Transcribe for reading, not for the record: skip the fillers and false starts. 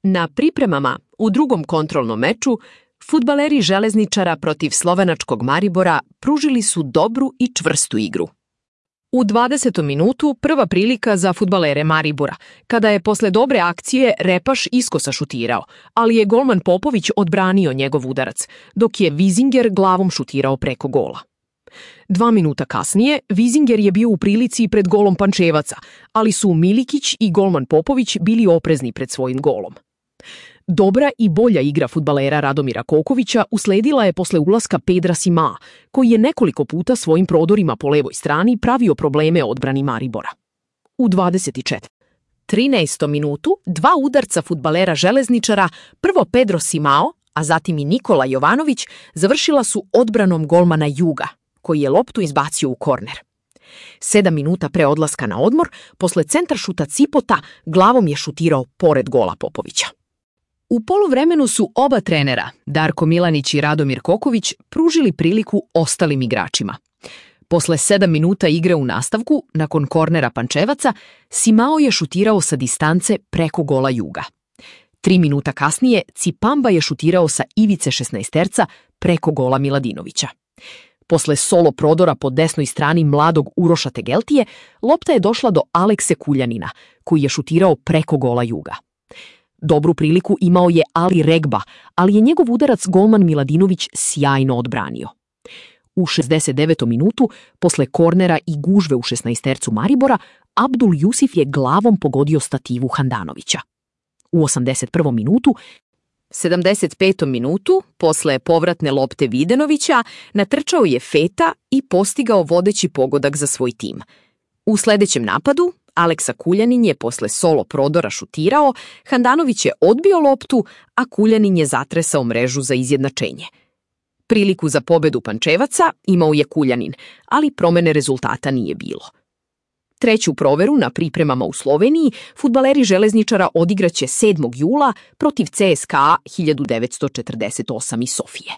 Na pripremama u drugom kontrolnom meču fudbaleri Železničara protiv slovenačkog Maribora pružili su dobru i čvrstu igru. U 20. minutu prva prilika za fudbalere Maribora, kada je posle dobre akcije Repaš iskosa šutirao, ali je golman Popović odbranio njegov udarac, dok je Vizinger glavom šutirao preko gola. 2 minuta kasnije Vizinger je bio u prilici pred golom Pančevaca, ali su Milikić i golman Popović bili oprezni pred svojim golom. Dobra i bolja igra fudbalera Radomira Kokovića usledila je posle ulaska Pedra Simaa, koji je nekoliko puta svojim prodorima po levoj strani pravio probleme odbrani Maribora. U 13. minutu 2 udarca fudbalera Železničara, prvo Pedro Simao, a zatim i Nikola Jovanović, završila su odbranom golmana Juga, koji je loptu izbacio u korner. 7 minuta pre odlaska na odmor, posle centaršuta Cipota, glavom je šutirao pored gola Popovića. U poluvremenu su oba trenera, Darko Milanić i Radomir Koković, pružili priliku ostalim igračima. Posle 7 minuta igre u nastavku, nakon kornera Pančevaca, Simao je šutirao sa distance preko gola Juga. 3 minuta kasnije Cipamba je šutirao sa ivice 16terca preko gola Miladinovića. Posle solo prodora po desnoj strani mladog Uroša Tegeltije, lopta je došla do Alekse Kuljanina, koji je šutirao preko gola Juga. Dobru priliku imao je Ali Regba, ali je njegov udarac golman Miladinović sjajno odbranio. U 69. minutu, posle kornera i gužve u 16tercu Maribora, Abdul Jusif je glavom pogodio stativu Handanovića. U 81. minutu, 75. minutu, posle povratne lopte Videnovića, natrčao je Feta i postigao vodeći pogodak za svoj tim. U sledećem napadu, Aleksa Kuljanin je posle solo prodora šutirao, Handanović je odbio loptu, a Kuljanin je zatresao mrežu za izjednačenje. Priliku za pobedu Pančevaca imao je Kuljanin, ali promene rezultata nije bilo. Treću proveru na pripremama u Sloveniji fudbaleri Železničara odigraće 7. jula protiv CSKA 1948 iz Sofije.